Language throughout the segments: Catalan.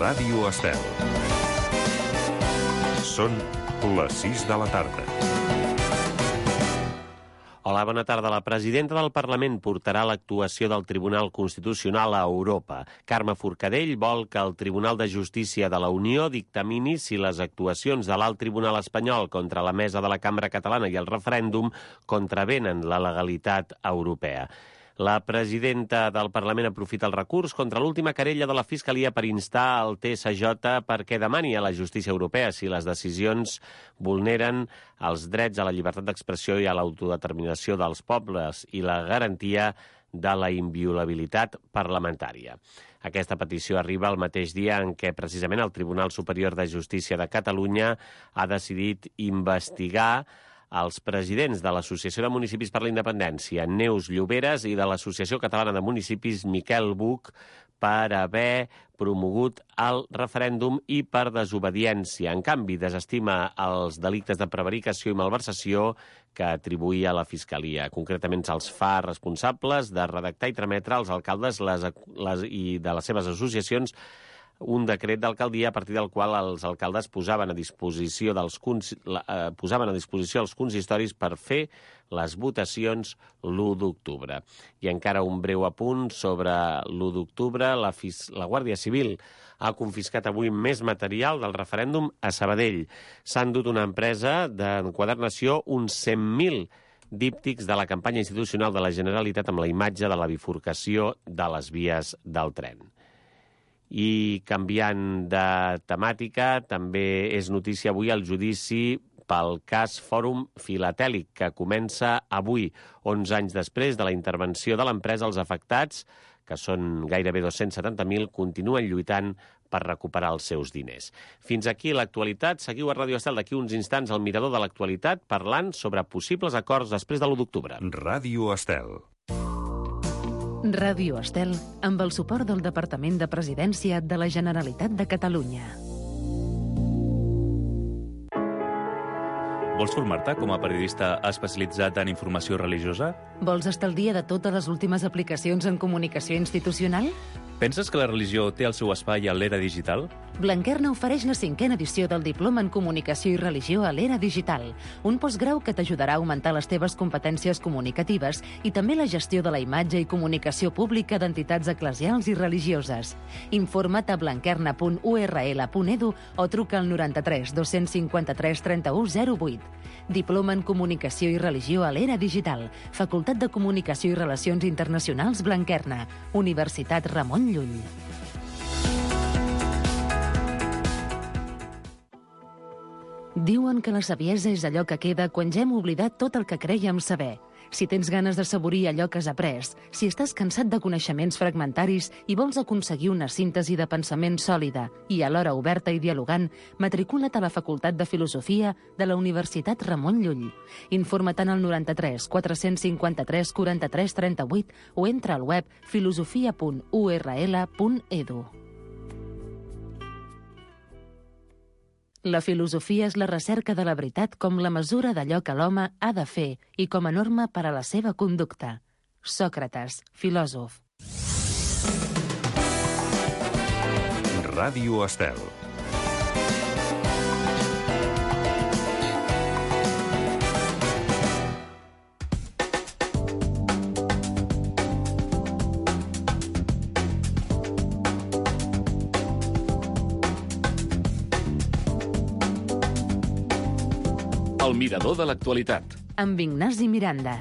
Ràdio Estel. Són les 6 de la tarda. Hola, bona tarda. La presidenta del Parlament portarà l'actuació del Tribunal Constitucional a Europa. Carme Forcadell vol que el Tribunal de Justícia de la Unió dictamini si les actuacions de l'Alt Tribunal espanyol contra la mesa de la Cambra Catalana i el referèndum contravenen la legalitat europea. La presidenta del Parlament aprofita el recurs contra l'última querella de la Fiscalia per instar el TSJ perquè demani a la justícia europea si les decisions vulneren els drets a la llibertat d'expressió i a l'autodeterminació dels pobles i la garantia de la inviolabilitat parlamentària. Aquesta petició arriba el mateix dia en què precisament el Tribunal Superior de Justícia de Catalunya ha decidit investigar els presidents de l'Associació de Municipis per la Independència, Neus Lloberes, i de l'Associació Catalana de Municipis, Miquel Buch, per haver promogut el referèndum i per desobediència. En canvi, desestima els delictes de prevaricació i malversació que atribuïa a la Fiscalia. Concretament, se'ls fa responsables de redactar i trametre als alcaldes i de les seves associacions un decret d'alcaldia a partir del qual els alcaldes posaven a disposició els consistoris per fer les votacions l'1 d'octubre. I encara un breu apunt sobre l'1 d'octubre. La Guàrdia Civil ha confiscat avui més material del referèndum a Sabadell. S'ha endut una empresa d'enquadernació uns 100.000 díptics de la campanya institucional de la Generalitat amb la imatge de la bifurcació de les vies del tren. I canviant de temàtica, també és notícia avui el judici pel cas Fòrum Filatèlic, que comença avui, 11 anys després de la intervenció de l'empresa. Els afectats, que són gairebé 270.000, continuen lluitant per recuperar els seus diners. Fins aquí l'actualitat. Seguiu a Ràdio Estel d'aquí uns instants al Mirador de l'Actualitat parlant sobre possibles acords després de l'1 d'octubre. Ràdio Estel. Ràdio Estel, amb el suport del Departament de Presidència de la Generalitat de Catalunya. Vols formar-te com a periodista especialitzat en informació religiosa? Vols estar al dia de totes les últimes aplicacions en comunicació institucional? Penses que la religió té el seu espai a l'era digital? Blanquerna ofereix la 5a edició del Diploma en Comunicació i Religió a l'era digital, un postgrau que t'ajudarà a augmentar les teves competències comunicatives i també la gestió de la imatge i comunicació pública d'entitats eclesials i religioses. Informa't a blanquerna.url.edu o truca al 93 253 31 08. Diploma en Comunicació i Religió a l'era digital, Facultat de Comunicació i Relacions Internacionals Blanquerna, Universitat Ramon Llull. Diuen que la saviesa és allò que queda quan ja hem oblidat tot el que crèiem saber. Si tens ganes de saborir allò que has après, si estàs cansat de coneixements fragmentaris i vols aconseguir una síntesi de pensament sòlida i alhora oberta i dialogant, matricula't a la Facultat de Filosofia de la Universitat Ramon Llull. Informa't al 93 453 43 38 o entra al web filosofia.url.edu. La filosofia és la recerca de la veritat com la mesura d'allò que l'home ha de fer i com a norma per a la seva conducta. Sòcrates, filòsof. Ràdio Estel. El Mirador de l'Actualitat. Amb Ignasi Miranda.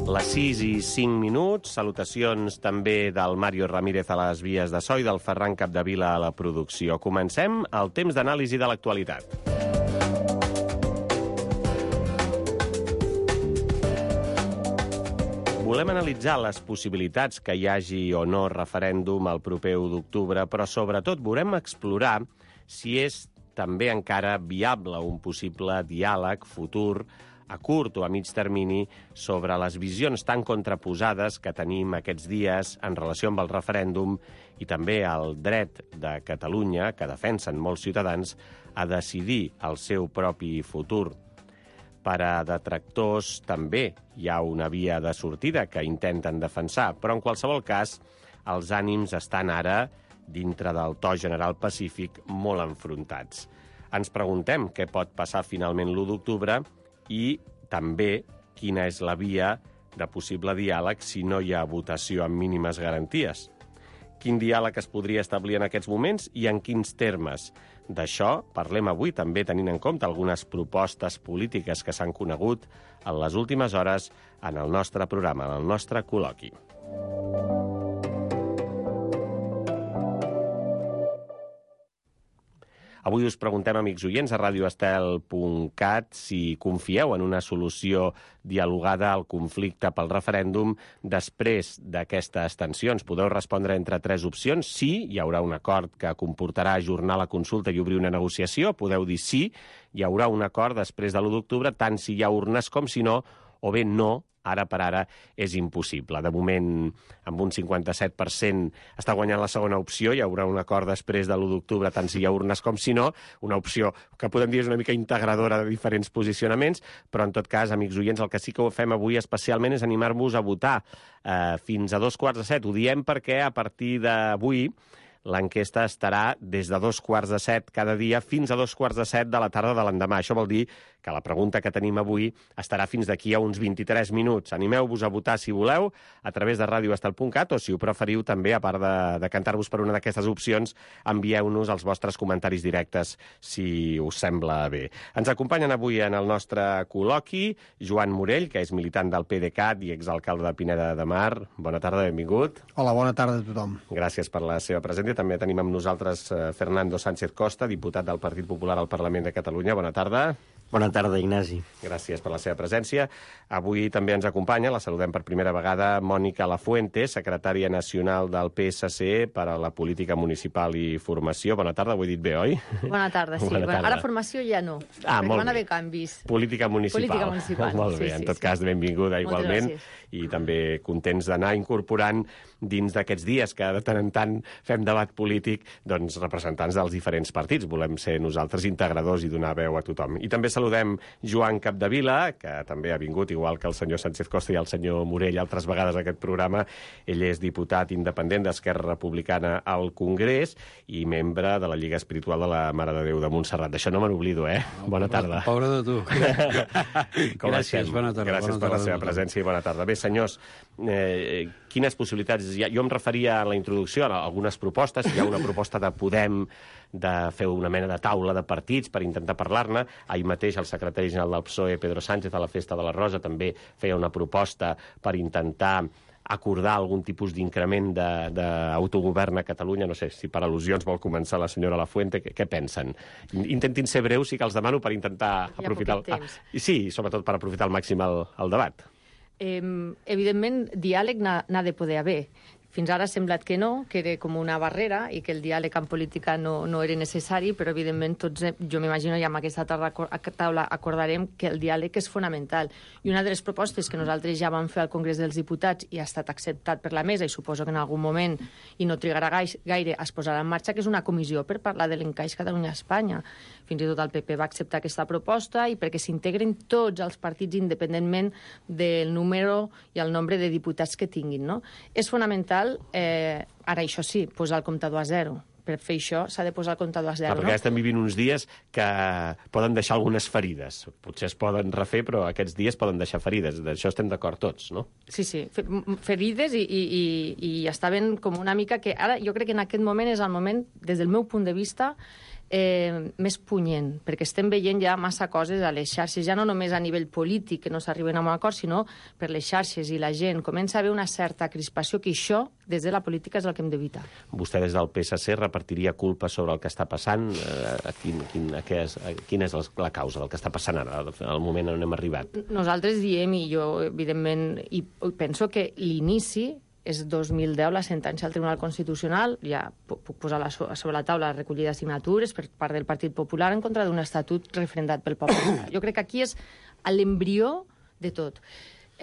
Les 6:05, salutacions també del Mario Ramírez a les vies de so i del Ferran Capdevila a la producció. Comencem el temps d'anàlisi de l'actualitat. Volem analitzar les possibilitats que hi hagi o no referèndum el proper 1 d'octubre, però sobretot volem explorar si és també encara viable un possible diàleg futur a curt o a mig termini sobre les visions tan contraposades que tenim aquests dies en relació amb el referèndum i també el dret de Catalunya, que defensen molts ciutadans, a decidir el seu propi futur. Per a detractors també hi ha una via de sortida que intenten defensar, però en qualsevol cas els ànims estan ara, dintre del to general pacífic, molt enfrontats. Ens preguntem què pot passar finalment l'1 d'octubre i també quina és la via de possible diàleg si no hi ha votació amb mínimes garanties. Quin diàleg es podria establir en aquests moments i en quins termes? D'això parlem avui també tenint en compte algunes propostes polítiques que s'han conegut en les últimes hores en el nostre programa, en el nostre col·loqui. Avui us preguntem, amics oients, a radioestel.cat si confieu en una solució dialogada al conflicte pel referèndum després d'aquestes tensions. Podeu respondre entre 3 opcions. Sí, hi haurà un acord que comportarà ajornar la consulta i obrir una negociació. Podeu dir sí, hi haurà un acord després de l'1 d'octubre, tant si hi ha urnes com si no, o bé no, ara per ara és impossible. De moment, amb un 57% està guanyant la segona opció, hi haurà un acord després de l'1 d'octubre, tant si hi ha urnes com si no, una opció que podem dir és una mica integradora de diferents posicionaments, però en tot cas, amics oients, el que sí que ho fem avui especialment és animar-vos a votar fins a 6:45. Ho diem perquè a partir d'avui l'enquesta estarà des de 6:45 cada dia fins a 6:45 de la tarda de l'endemà. Això vol dir que la pregunta que tenim avui estarà fins d'aquí a uns 23 minuts. Animeu-vos a votar si voleu a través de radioestel.cat o, si ho preferiu, també, a part de cantar-vos per una d'aquestes opcions, envieu-nos els vostres comentaris directes si us sembla bé. Ens acompanyen avui en el nostre col·loqui Joan Morell, que és militant del PDeCAT i exalcalde de Pineda de Mar. Bona tarda, benvingut. Hola, bona tarda a tothom. Gràcies per la seva presència. També tenim amb nosaltres Fernando Sánchez Costa, diputat del Partit Popular al Parlament de Catalunya. Bona tarda. Bona tarda, Ignasi. Gràcies per la seva presència. Avui també ens acompanya, la saludem per primera vegada, Mònica Lafuente, secretària nacional del PSC per a la política municipal i formació. Bona tarda, ho he dit bé, oi? Bona tarda, sí. Bona tarda. Ara formació ja no, perquè van haver canvis. Política municipal. Molt bé, en tot cas, benvinguda igualment. I també contents d'anar incorporant dins d'aquests dies que de tant en tant fem debat polític, doncs representants dels diferents partits. Volem ser nosaltres integradors i donar veu a tothom. I també saludem Joan Capdevila, que també ha vingut, igual que el senyor Sánchez Costa i el senyor Morell, altres vegades a aquest programa. Ell és diputat independent d'Esquerra Republicana al Congrés i membre de la Lliga Espiritual de la Mare de Déu de Montserrat. D'això no me n'oblido, eh? Bona tarda. Pobre de tu. Gràcies, bona tarda. Gràcies per la seva presència i bona tarda. Bé, senyors, quines possibilitats hi ha? Jo em referia a la introducció a algunes propostes. Hi ha una proposta de Podem de fer una mena de taula de partits per intentar parlar-ne. Ahir mateix el secretari general del PSOE, Pedro Sánchez, a la Festa de la Rosa, també feia una proposta per intentar acordar algun tipus d'increment d'autogovern a Catalunya. No sé si per al·lusions vol començar la senyora Lafuente. Què pensen? Intentin ser breus, sí que els demano, per intentar aprofitar... Sí, sobretot per aprofitar al màxim el debat. Evidentment, diàleg n'ha de poder haver. Fins ara ha semblat que no, que era com una barrera i que el diàleg en política no era necessari, però evidentment tots, jo m'imagino, ja amb aquesta taula acordarem que el diàleg és fonamental. I una de les propostes que nosaltres ja vam fer al Congrés dels Diputats i ha estat acceptat per la mesa, i suposo que en algun moment, i no trigarà gaire, es posarà en marxa, que és una comissió per parlar de l'encaix Catalunya-Espanya. Fins i tot el PP va acceptar aquesta proposta i perquè s'integren tots els partits independentment del número i el nombre de diputats que tinguin, no? És fonamental, ara això sí, posar el comptador a zero. Per fer això s'ha de posar el comptador a zero, no? Perquè estem vivint uns dies que poden deixar algunes ferides. Potser es poden refer, però aquests dies poden deixar ferides. D'això estem d'acord tots, no? Sí, ferides i està ben com una mica que ara jo crec que en aquest moment és el moment, des del meu punt de vista, més punyent, perquè estem veient ja massa coses a les xarxes, ja no només a nivell polític, que no s'arriben a un acord, sinó per les xarxes, i la gent comença a haver una certa crispació, que això, des de la política, és el que hem d'evitar. Vostè, des del PSC, repartiria culpa sobre el que està passant? Quina és la causa del que està passant ara, al moment on hem arribat? Nosaltres diem, i jo, evidentment, i penso que l'inici és 2010, la sentència del Tribunal Constitucional, ja puc posar sobre la taula la recollida de signatures per part del Partit Popular en contra d'un estatut referendat pel poble. Jo crec que aquí és l'embrió de tot.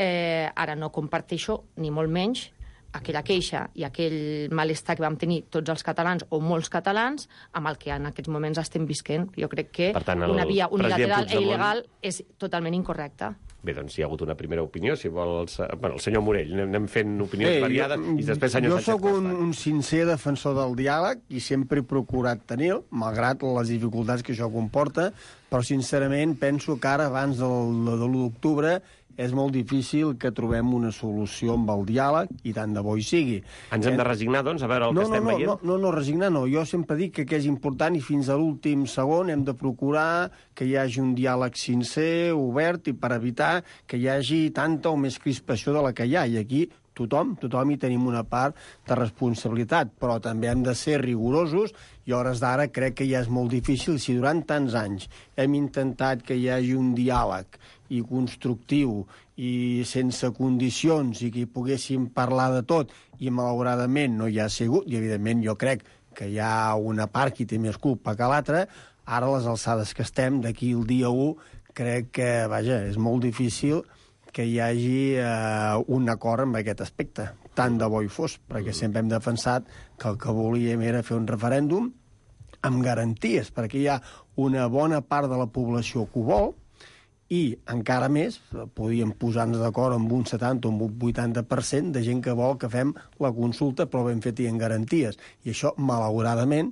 Ara no comparteixo, ni molt menys, aquella queixa i aquell malestar que vam tenir tots els catalans o molts catalans amb el que en aquests moments estem visquent. Jo crec que una via unilateral i il·legal és totalment incorrecta. Bé, doncs hi ha hagut una primera opinió, si vol... el senyor Morell, anem fent opinions variades i després senyor Sánchez Costa. Jo sóc un sincer defensor del diàleg i sempre he procurat tenir, malgrat les dificultats que això comporta, però sincerament penso que ara, abans de l'1 d'octubre, és molt difícil que trobem una solució amb el diàleg, i tant de bo hi sigui. Ens hem de resignar, doncs, a veure el que estem veient? No, resignar no. Jo sempre dic que és important i fins a l'últim segon hem de procurar que hi hagi un diàleg sincer, obert, i per evitar que hi hagi tanta o més crispació de la que hi ha. I aquí tothom hi tenim una part de responsabilitat, però també hem de ser rigorosos, i a hores d'ara crec que ja és molt difícil. Si durant tants anys hem intentat que hi hagi un diàleg i constructiu i sense condicions i que hi poguéssim parlar de tot, i malauradament no hi ha sigut, i evidentment jo crec que hi ha una part que té més culpa que l'altra, ara a les alçades que estem, d'aquí el dia 1, crec que, és molt difícil que hi hagi un acord en aquest aspecte. Tant de bo hi fos, perquè sempre hem defensat que el que volíem era fer un referèndum amb garanties, perquè hi ha una bona part de la població que ho vol, i encara més, podíem posar-nos d'acord amb un 70 o amb un 80% de gent que vol que fem la consulta, però ben fet i en garanties. I això, malauradament,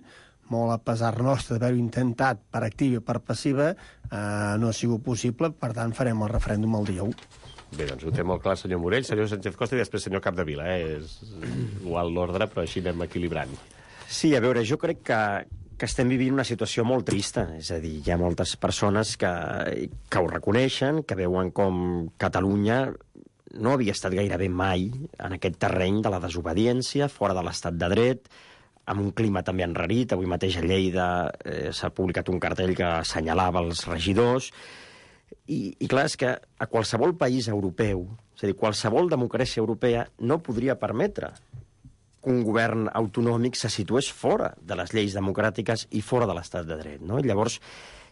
molt a pesar nostre d'haver-ho intentat per activa i per passiva, no ha sigut possible, per tant farem el referèndum el dia 1. Bé, doncs ho té molt clar el senyor Morell, senyor Sánchez Costa i després senyor Capdevila. És igual l'ordre, però així anem equilibrant. Sí, a veure, jo crec que estem vivint una situació molt trista. És a dir, hi ha moltes persones que ho reconeixen, que veuen com Catalunya no havia estat gairebé mai en aquest terreny de la desobediència, fora de l'estat de dret, amb un clima també enrarit. Avui mateix a Lleida s'ha publicat un cartell que assenyalava els regidors. I clar, és que a qualsevol país europeu, és a dir, qualsevol democràcia europea no podria permetre que un govern autonòmic se situés fora de les lleis democràtiques i fora de l'estat de dret, no? I llavors,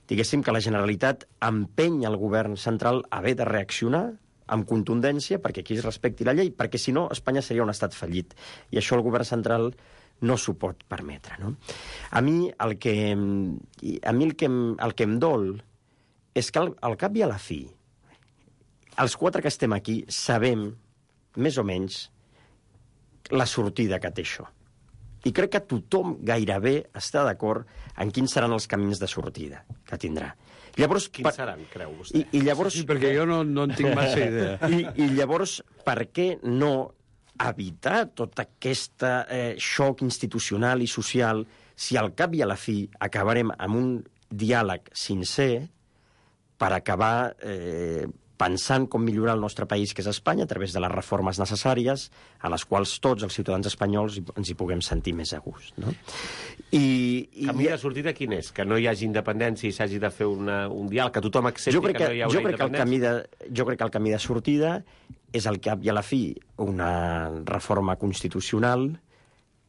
diguéssim que la Generalitat empeny el govern central a haver de reaccionar amb contundència perquè aquí es respecti la llei, perquè si no Espanya seria un estat fallit. I això el govern central no s'ho pot permetre, no? A mi el que em dol és que al cap i a la fi, els 4 que estem aquí sabem, més o menys, la sortida que té això. I crec que tothom gairebé està d'acord en quins seran els camins de sortida que tindrà. Llavors, quins seran, creu vostè? I llavors, sí, perquè jo no en tinc massa idea. I llavors, per què no evitar tot aquest xoc institucional i social si al cap i a la fi acabarem amb un diàleg sincer per acabar pensant com millorar el nostre país, que és Espanya, a través de les reformes necessàries, a les quals tots els ciutadans espanyols ens hi puguem sentir més a gust, no? Camí de sortida quin és? Que no hi hagi independència i s'hagi de fer un diàleg, que tothom accepti que no hi haurà independència? Jo crec que el camí de sortida és al cap i a la fi una reforma constitucional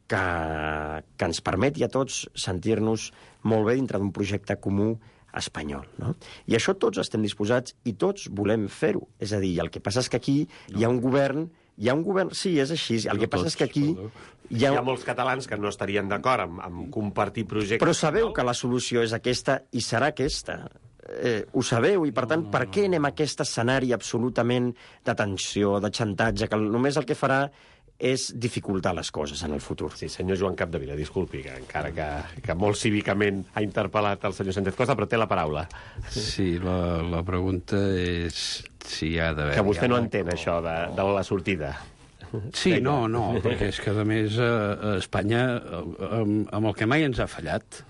que ens permeti a tots sentir-nos molt bé dintre d'un projecte comú espanyol, no? I això tots estem disposats i tots volem fer-ho. És a dir, el que passa és que aquí hi ha un govern... Sí, és així. El que passa és que aquí... Hi ha molts catalans que no estarien d'acord amb compartir projectes... Però sabeu que la solució és aquesta i serà aquesta. Ho sabeu, i per tant, per què anem a aquest escenari absolutament de tensió, de xantatge, que només el que farà és dificultar les coses en el futur. Sí, senyor Joan Capdevila, disculpi, que encara que molt cívicament ha interpel·lat el senyor Sánchez Costa, però té la paraula. Sí, la pregunta és si hi ha d'haver... Que vostè no entén això de la sortida. Sí, no, perquè és que, a més, Espanya, amb el que mai ens ha fallat,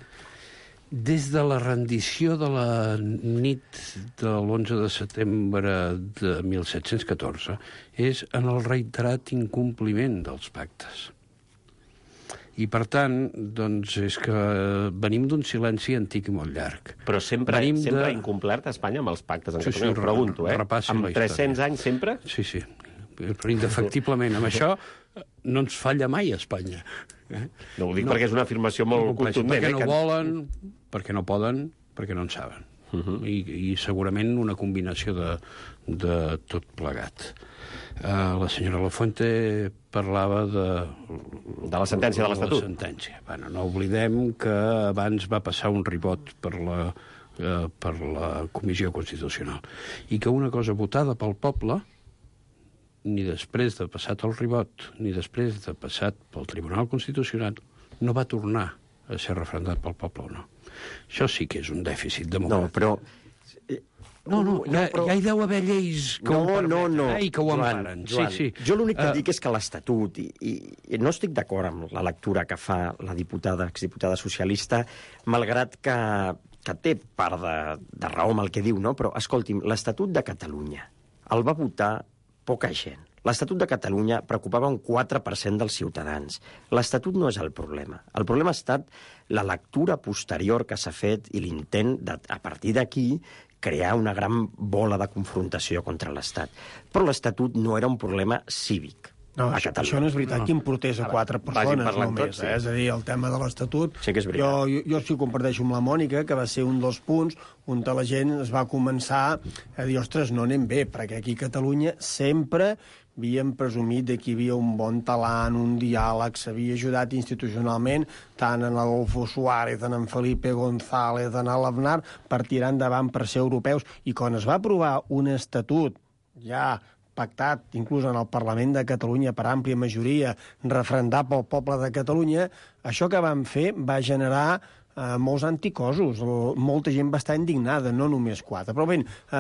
Des de la rendició de la nit de l'11 de setembre de 1714 és en el reiterat incompliment dels pactes. I, per tant, doncs, és que venim d'un silenci antic i molt llarg. Però sempre ha incomplert Espanya amb els pactes. Sí, Ho pregunto, amb 300 anys sempre? Sí, sí. Però indefectiblement, amb això no ens falla mai Espanya. No ho dic perquè és una afirmació molt contundent. Perquè no volen, perquè no poden, perquè no en saben. I segurament una combinació de tot plegat. La senyora Lafuente parlava de la sentència de l'Estatut. La sentència. Bueno, no oblidem que abans va passar un ribot per la Comissió Constitucional i que una cosa votada pel poble, ni després de passat el ribot, ni després de passat pel Tribunal Constitucional, no va tornar a ser referendat pel poble o no. Això sí que és un dèficit democràtic. No, però... Ja hi deu haver lleis que ho permeten i que ho emparen. Joan, sí. Jo l'únic que dic és que l'Estatut, i no estic d'acord amb la lectura que fa la exdiputada socialista, malgrat que té part de raó amb el que diu, no? Però, escolti'm, l'Estatut de Catalunya el va votar poca gent. L'Estatut de Catalunya preocupava un 4% dels ciutadans. L'Estatut no és el problema. El problema ha estat la lectura posterior que s'ha fet i l'intent, a partir d'aquí, crear una gran bola de confrontació contra l'Estat. Però l'Estatut no era un problema cívic. No, això no és veritat, que importés a 4 persones només. És a dir, el tema de l'Estatut... Sí que és veritat. Jo sí ho comparteixo amb la Mònica, que va ser un dels punts on la gent es va començar a dir, ostres, no anem bé, perquè aquí a Catalunya sempre havíem presumit que hi havia un bon talant, un diàleg, s'havia ajudat institucionalment tant en Adolfo Suárez, en Felipe González, en l'Aznar, per tirar endavant per ser europeus. I quan es va aprovar un estatut ja pactat, inclús en el Parlament de Catalunya per àmplia majoria, referendat pel poble de Catalunya, això que van fer va generar molts anticossos. Molta gent va estar indignada, no només 4. Però bé,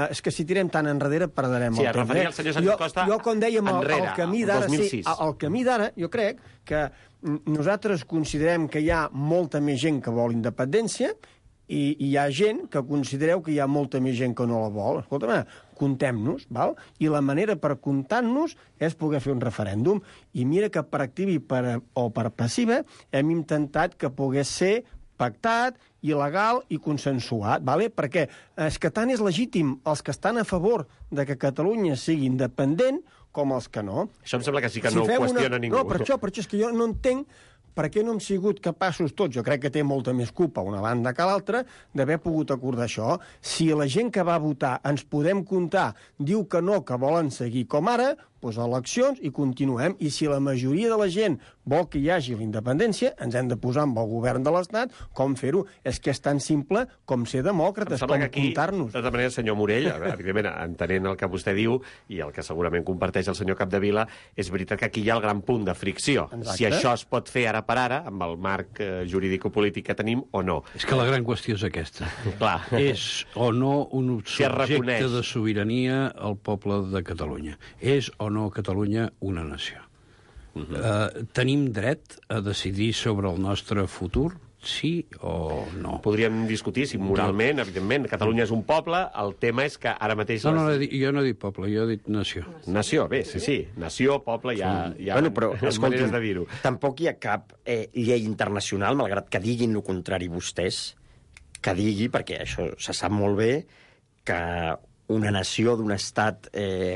és que si tirem tan enrere perdrem el temps. Sí, es referia al senyor Sánchez Costa jo, com dèiem, enrere, el camí d'ara, el camí d'ara, jo crec que nosaltres considerem que hi ha molta més gent que vol independència i hi ha gent que considereu que hi ha molta més gent que no la vol. Escolta'm, comptem-nos, val? I la manera per comptar-nos és poder fer un referèndum. I mira que per activa o per passiva hem intentat que pogués ser pactat, il·legal i consensuat, vale? Perquè és que tant és legítim els que estan a favor de que Catalunya sigui independent com els que no. Això em sembla que sí que no ho qüestiona ningú. No, per això és que jo no entenc per què no hem sigut capaços tots, jo crec que té molta més culpa una banda que l'altra, d'haver pogut acordar això. Si la gent que va votar ens podem comptar diu que no, que volen seguir com ara, doncs eleccions i continuem. I si la majoria de la gent vol que hi hagi la independència, ens hem de posar amb el govern de l'Estat com fer-ho. És que és tan simple com ser demòcrates, com comptar-nos. De tota manera, senyor Morell, evidentment, entenent el que vostè diu i el que segurament comparteix el senyor Capdevila, és veritat que aquí hi ha el gran punt de fricció. Exacte. Si això es pot fer ara per ara, amb el marc jurídico-polític que tenim, o no. És que la gran qüestió és aquesta. Clar. És o no un subjecte de sobirania al poble de Catalunya. És o no Catalunya una nació. Tenim dret a decidir sobre el nostre futur? Sí o no? Podríem discutir si moralment, evidentment, Catalunya és un poble, el tema és que ara mateix... No, jo no he dit poble, jo he dit nació. Nació, bé, sí. Nació, poble, hi ha però, maneres de dir-ho. Tampoc hi ha cap llei internacional, malgrat que diguin el contrari vostès, que digui, perquè això se sap molt bé, que una nació d'un estat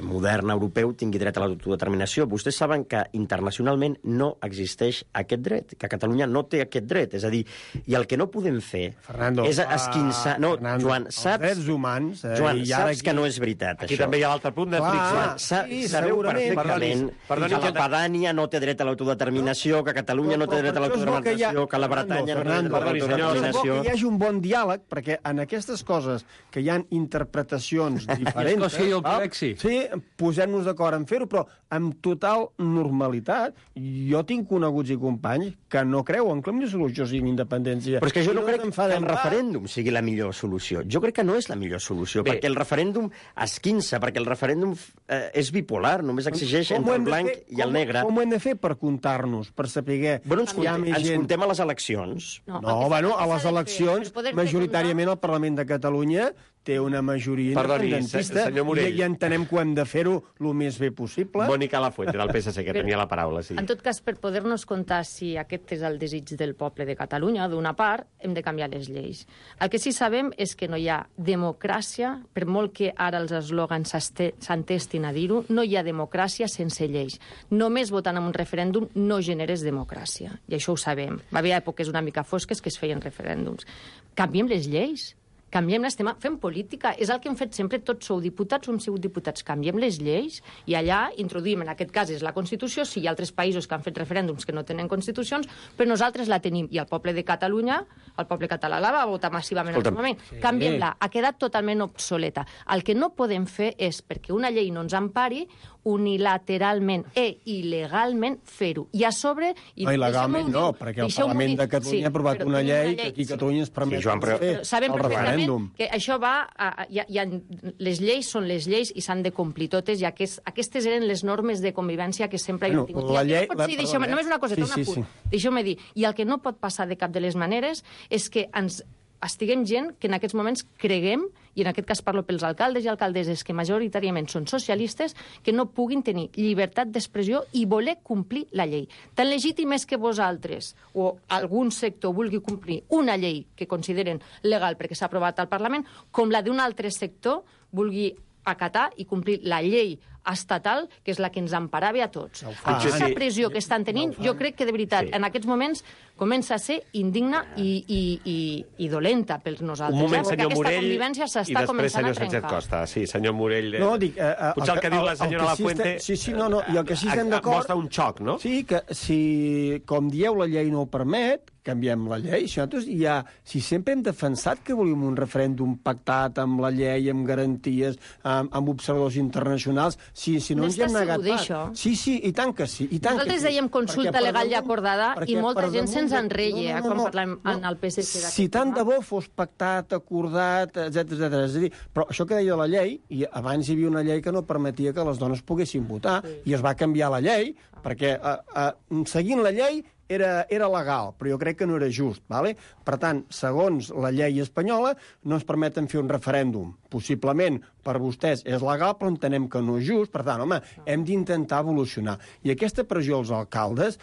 modern europeu tingui dret a l'autodeterminació. Vostès saben que internacionalment no existeix aquest dret, que Catalunya no té aquest dret. És a dir, i el que no podem fer és esquinçar... No, Joan, saps... Els drets humans... Joan, saps que no és veritat, aquí això. també hi ha l'altre punt de fricció. Sabeu perfectament que la Padània no té dret a l'autodeterminació, que Catalunya no té dret a l'autodeterminació, que la Bretanya no té dret a l'autodeterminació... Que hi hagi un bon diàleg, perquè en aquestes coses que hi ha interpretacions diferents. Escòcia i el Quebec, sí. Sí, posem-nos d'acord en fer-ho, però amb total normalitat. Jo tinc coneguts i companys que no creuen que la millor solució sigui independència. Però és que jo no crec que enfadem el referèndum sigui la millor solució. Jo crec que no és la millor solució, perquè el referèndum esquinça, perquè el referèndum és bipolar, només exigeix entre el blanc i el negre. Com ho hem de fer per comptar-nos, per saber... Bueno, ens comptem a les eleccions. No, bueno, a les eleccions, majoritàriament el Parlament de Catalunya té una majoria independentista i entenem que ho hem de fer-ho el més bé possible. Mònica Lafuente, del PSC, que tenia la paraula. Sí. En tot cas, per poder-nos comptar si aquest és el desig del poble de Catalunya, d'una part, hem de canviar les lleis. El que sí sabem és que no hi ha democràcia, per molt que ara els eslògans s'entestin a dir-ho, no hi ha democràcia sense lleis. Només votant en un referèndum no generes democràcia. I això ho sabem. Va haver èpoques una mica fosques que es feien referèndums. Canviem les lleis. Canviem-les, fem política. És el que hem fet sempre. Tots sou diputats o hem sigut diputats. Canviem les lleis i allà introduïm, en aquest cas és la Constitució, si hi ha altres països que han fet referèndums que no tenen constitucions, però nosaltres la tenim. I el poble de Catalunya, el poble català la va votar massivament en aquest moment. Sí. Canviem-la. Ha quedat totalment obsoleta. El que no podem fer és, perquè una llei no ens empari, unilateralment il·legalment fer-ho. I a sobre... Il·legalment no, perquè el Parlament de Catalunya ha aprovat una llei que aquí a Catalunya es permet fer. Sabem perfectament que això va... Les lleis són les lleis i s'han de complir totes, i aquestes eren les normes de convivència que sempre hem tingut. Només una coseta, un apunt. Deixeu-me dir, i el que no pot passar de cap de les maneres és que ens estiguem gent que en aquests moments creguem, i en aquest cas parlo pels alcaldes i alcaldesses que majoritàriament són socialistes, que no puguin tenir llibertat d'expressió i voler complir la llei. Tan legítim és que vosaltres o algun sector vulgui complir una llei que consideren legal perquè s'ha aprovat al Parlament, com la d'un altre sector vulgui acatar i complir la llei estatal, que és la que ens emparava a tots. Aquesta pressió que estan tenint, jo crec que, de veritat, en aquests moments comença a ser indigna i dolenta per nosaltres. Un moment, senyor Morell, i després senyor Sánchez Costa. Sí, senyor Morell. No, dic... Potser el que diu la senyora Lafuente... Sí, no, i el que sí estem d'acord... Mostra un xoc, no? Sí, que si, com dieu, la llei no ho permet, canviem la llei. Si sempre hem defensat que volíem un referèndum pactat amb la llei, amb garanties, amb observadors internacionals, si no ens hi hem negat pas. Sí, i tant que sí. Nosaltres dèiem consulta legal i acordada i molta gent se'ns enreia quan parlem en el PSC. Si tant de bo fos pactat, acordat, etc. És a dir, però això que deia la llei, i abans hi havia una llei que no permetia que les dones poguessin votar, i es va canviar la llei, perquè seguint la llei era legal, però jo crec que no era just. Vale? Per tant, segons la llei espanyola, no ens permeten fer un referèndum. Possiblement, per vostès és legal, però entenem que no és just. Per tant, home, hem d'intentar evolucionar. I aquesta pressió als alcaldes,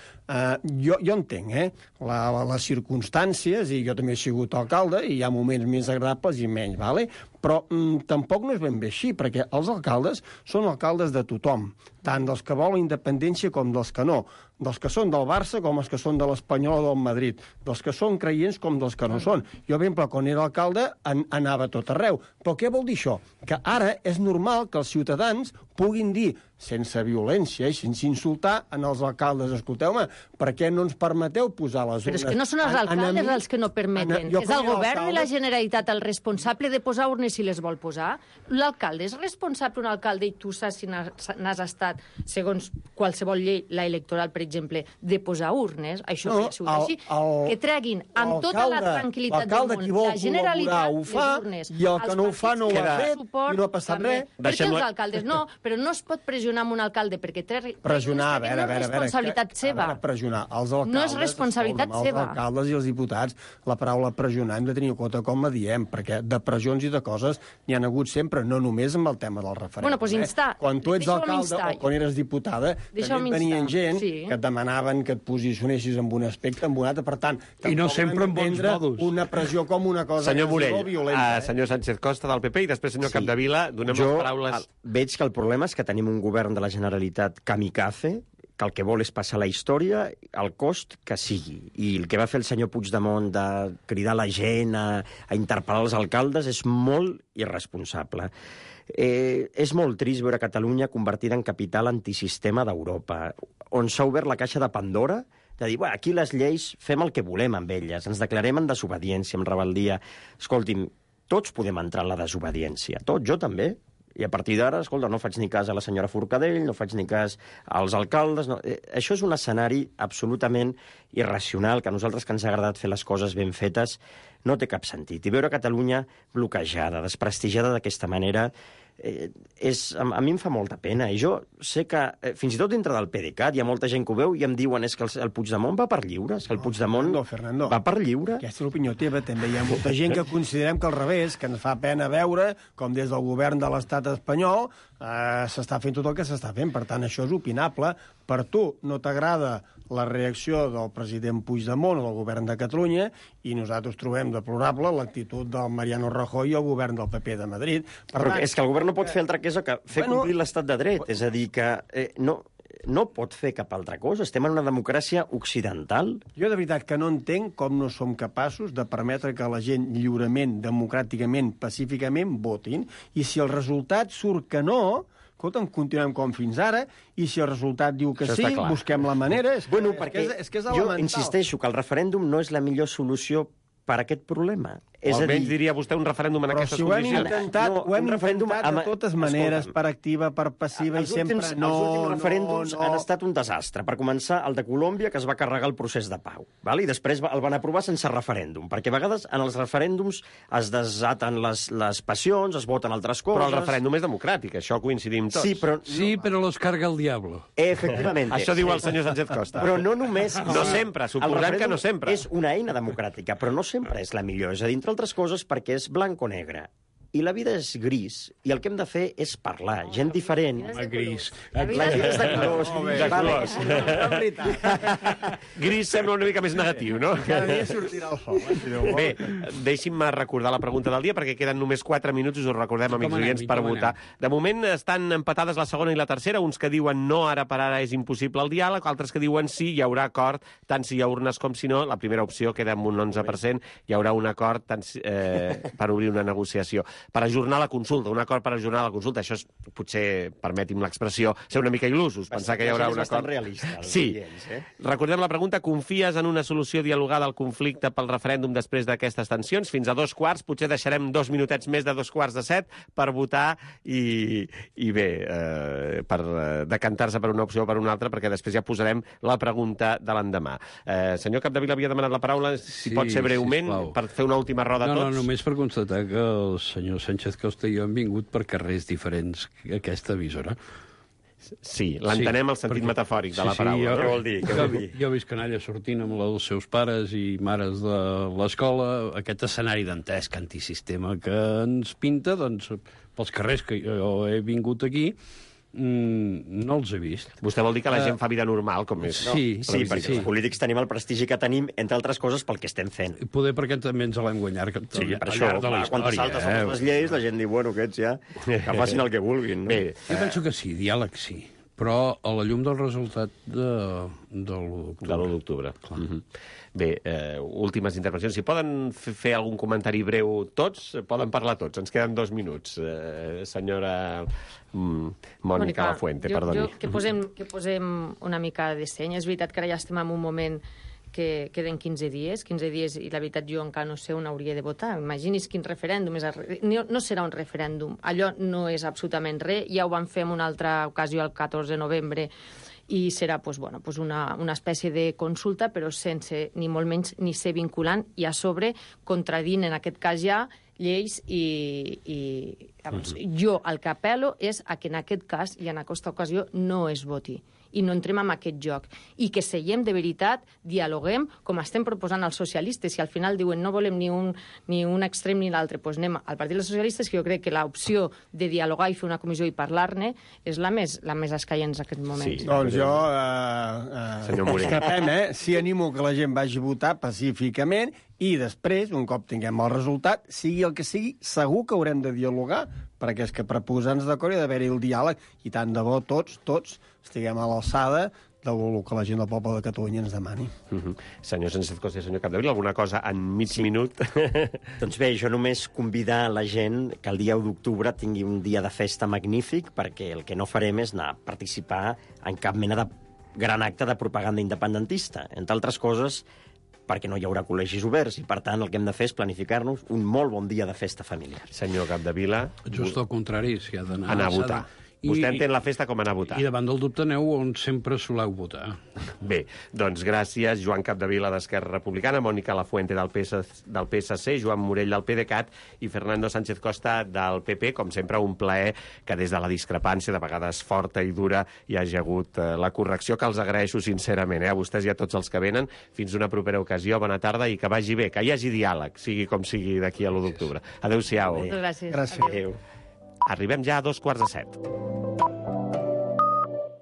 jo entenc, les circumstàncies, i jo també he sigut alcalde, i hi ha moments més agradables i menys, vale? Però tampoc no és ben bé així, perquè els alcaldes són alcaldes de tothom, tant dels que volen independència com dels que no, dels que són del Barça com els que són de l'Espanyol o del Madrid, dels que són creients com dels que no són. Jo, per exemple, quan era alcalde, anava a tot arreu. Però què vol dir això? Que ara és normal que els ciutadans puguin dir, sense violència i sense insultar, en els alcaldes: escolteu-me, per què no ens permeteu posar les urnes? Però és que no són els alcaldes els que no permeten. És el govern de la Generalitat el responsable de posar urnes si les vol posar. L'alcalde és responsable, un alcalde, i tu saps si n'has estat, segons qualsevol llei, la electoral, per exemple, de posar urnes. Això no, així. Que treguin amb tota la tranquil·litat del món la Generalitat les urnes. I el que no ho fa no ho ha fet i no ha passat res. Perquè els alcaldes no, però no es pot pressionar amb un alcalde perquè pressionar, no és responsabilitat seva. Pressionar els alcaldes, no és responsabilitat seva. Els alcaldes i els diputats, la paraula pressionar hem de tenir en compte com la diem, perquè de pressions i de coses n'hi ha hagut sempre, no només amb el tema del referèndum. Bueno, doncs instar. Quan tu ets alcalde o quan eres diputada, també venien gent que et demanaven que et posicionessis en un aspecte, en un altre, per tant, i no sempre en bons modos. Una pressió com una cosa senyor Morell, senyor Sánchez Costa del PP i després senyor Capdevila, donem les paraules. Veig que el problema és que tenim un govern de la Generalitat kamikaze, que el que vol és passar la història al cost que sigui. I el que va fer el senyor Puigdemont de cridar la gent a interpel·lar els alcaldes és molt irresponsable. És molt trist veure Catalunya convertida en capital antisistema d'Europa, on s'ha obert la caixa de Pandora de dir, aquí les lleis fem el que volem amb elles, ens declarem en desobediència, en rebel·lia. Escolti'm, tots podem entrar en la desobediència, tots, jo també. I a partir d'ara, escolta, no faig ni cas a la senyora Forcadell, no faig ni cas als alcaldes... No. Això és un escenari absolutament irracional, que a nosaltres que ens ha agradat fer les coses ben fetes no té cap sentit. I veure Catalunya bloquejada, desprestigiada d'aquesta manera... a mi em fa molta pena, i jo sé que fins i tot dintre del PDeCAT hi ha molta gent que ho veu i em diuen és que el Puigdemont va per lliure, és que el Puigdemont Fernando, va per lliure. Aquesta és l'opinió teva, també hi ha molta gent que considerem que al revés, que ens fa pena veure com des del govern de l'estat espanyol s'està fent tot el que s'està fent, per tant això és opinable. Per tu no t'agrada la reacció del president Puigdemont o del govern de Catalunya i nosaltres trobem deplorable l'actitud del Mariano Rajoy i el govern del PP de Madrid. Però és que el govern no pot fer altra cosa que fer complir l'estat de dret. És a dir, que no pot fer cap altra cosa. Estem en una democràcia occidental. Jo de veritat que no entenc com no som capaços de permetre que la gent lliurement, democràticament, pacíficament votin, i si el resultat surt que no... Escolta'm, continuem com fins ara, i si el resultat diu que sí, busquem la manera. És que és jo insisteixo que el referèndum no és la millor solució per a aquest problema. O almenys diria vostè un referèndum en aquestes condicions. Ho hem intentat de totes maneres, per activa, per passiva, i sempre no... Els últims referèndums han estat un desastre. Per començar, el de Colòmbia, que es va carregar el procés de pau. I després el van aprovar sense referèndum, perquè a vegades en els referèndums es desaten les passions, es voten altres coses... Però el referèndum és democràtic, això coincidim tots. Sí, però los carga el diablo. Efectivament. Això diu el senyor Sánchez Costa. Però no només... No sempre, suposem que no sempre. És una eina democràtica, però no sempre és la millor. És a dir, entre altres coses, perquè és blanc o negre. I la vida és gris, i el que hem de fer és parlar. Gent diferent. Gris. La vida és de colors. Gris sembla una mica més negatiu, no? Cada dia sortirà el sol. Bé, deixi'm recordar la pregunta del dia, perquè queden només 4 minuts, us ho recordem, amics oients, per votar. De moment estan empatades la segona i la tercera, uns que diuen no, ara per ara és impossible el diàleg, altres que diuen sí, hi haurà acord, tant si hi ha urnes com si no. La primera opció queda amb un 11%, hi haurà un acord per obrir una negociació. Per ajornar la consulta, un acord per ajornar la consulta. Això és, potser, permeti'm l'expressió, ser una mica il·lusos, pensar que hi haurà un acord. Realista. Sí. Recordem la pregunta, confies en una solució dialogada al conflicte pel referèndum després d'aquestes tensions? Fins a 2:15, potser deixarem 2 minutets més de 6:45 per votar i bé, per decantar-se per una opció o per una altra, perquè després ja posarem la pregunta de l'endemà. Senyor Capdevila havia demanat la paraula, si pot ser breument, per fer una última roda a tots. No, només per constatar que el senyor Sánchez Costa i jo hem vingut per carrers diferents que aquesta emissora. Sí, l'entenem al sentit metafòric de la paraula. Què vol dir? Jo visc canalla sortint amb els seus pares i mares de l'escola, aquest escenari dantesc antisistema que ens pinta, doncs, pels carrers que jo he vingut aquí, no els he vist. Vostè vol dir que la gent fa vida normal, com és? Sí, perquè els polítics tenim el prestigi que tenim, entre altres coses, pel que estem fent. Poder perquè també ens l'hem guanyat per això, quan te saltes les lleis, la gent diu, bueno, aquests ja, que facin el que vulguin. Bé, jo penso que sí, diàleg sí, però a la llum del resultat de l'1 d'octubre. Bé, últimes intervencions. Si poden fer algun comentari breu tots, poden parlar tots. Ens queden 2 minuts. Senyora Mònica Lafuente, perdoni. Que posem una mica de seny. És veritat que ara ja estem en un moment que queden 15 dies, i la veritat jo encara no sé on hauria de votar. Imagini's quin referèndum és. No serà un referèndum. Allò no és absolutament res. Ja ho vam fer en una altra ocasió el 14 de novembre i serà una espècie de consulta, però sense ni molt menys ni ser vinculant, i a sobre contradint en aquest cas ja lleis i jo el que apel·lo és a que en aquest cas i en aquesta ocasió no es voti i no entrem en aquest joc, i que seiem de veritat, dialoguem, com estem proposant els socialistes. Si al final diuen no volem ni un extrem ni l'altre, doncs anem al Partit dels Socialistes, que jo crec que l'opció de dialogar i fer una comissió i parlar-ne és la més escaient en aquest moment. Sí, doncs jo escapem, sí animo que la gent vagi a votar pacíficament i després, un cop tinguem el resultat, sigui el que sigui, segur que haurem de dialogar, perquè és que per posar-nos d'acord hi ha d'haver-hi el diàleg, i tant de bo tots estiguem a l'alçada del que la gent del poble de Catalunya ens demani. Senyor Sánchez Costa i senyor Capdevila, alguna cosa en mig minut? Doncs bé, jo només convidar la gent que el dia 1 d'octubre tingui un dia de festa magnífic, perquè el que no farem és anar a participar en cap mena de gran acte de propaganda independentista. Entre altres coses, perquè no hi haurà col·legis oberts, i per tant el que hem de fer és planificar-nos un molt bon dia de festa familiar. Senyor Capdevila... Just al contrari, s'hi ha d'anar... Anar a votar. Vostè entén la festa com anar a votar. I davant del dubte aneu on sempre soleu votar. Bé, doncs gràcies, Joan Capdevila d'Esquerra Republicana, Mònica Lafuente del PSC, Joan Morell del PDeCAT i Fernando Sánchez Costa del PP. Com sempre, un plaer que des de la discrepància, de vegades forta i dura, hi hagi hagut la correcció, que els agraeixo sincerament, a vostès i a tots els que venen. Fins una propera ocasió, bona tarda i que vagi bé, que hi hagi diàleg, sigui com sigui d'aquí a l'1 d'octubre. Adéu-siau. Gràcies. Gràcies. Adéu. Arribem ja a 7:02.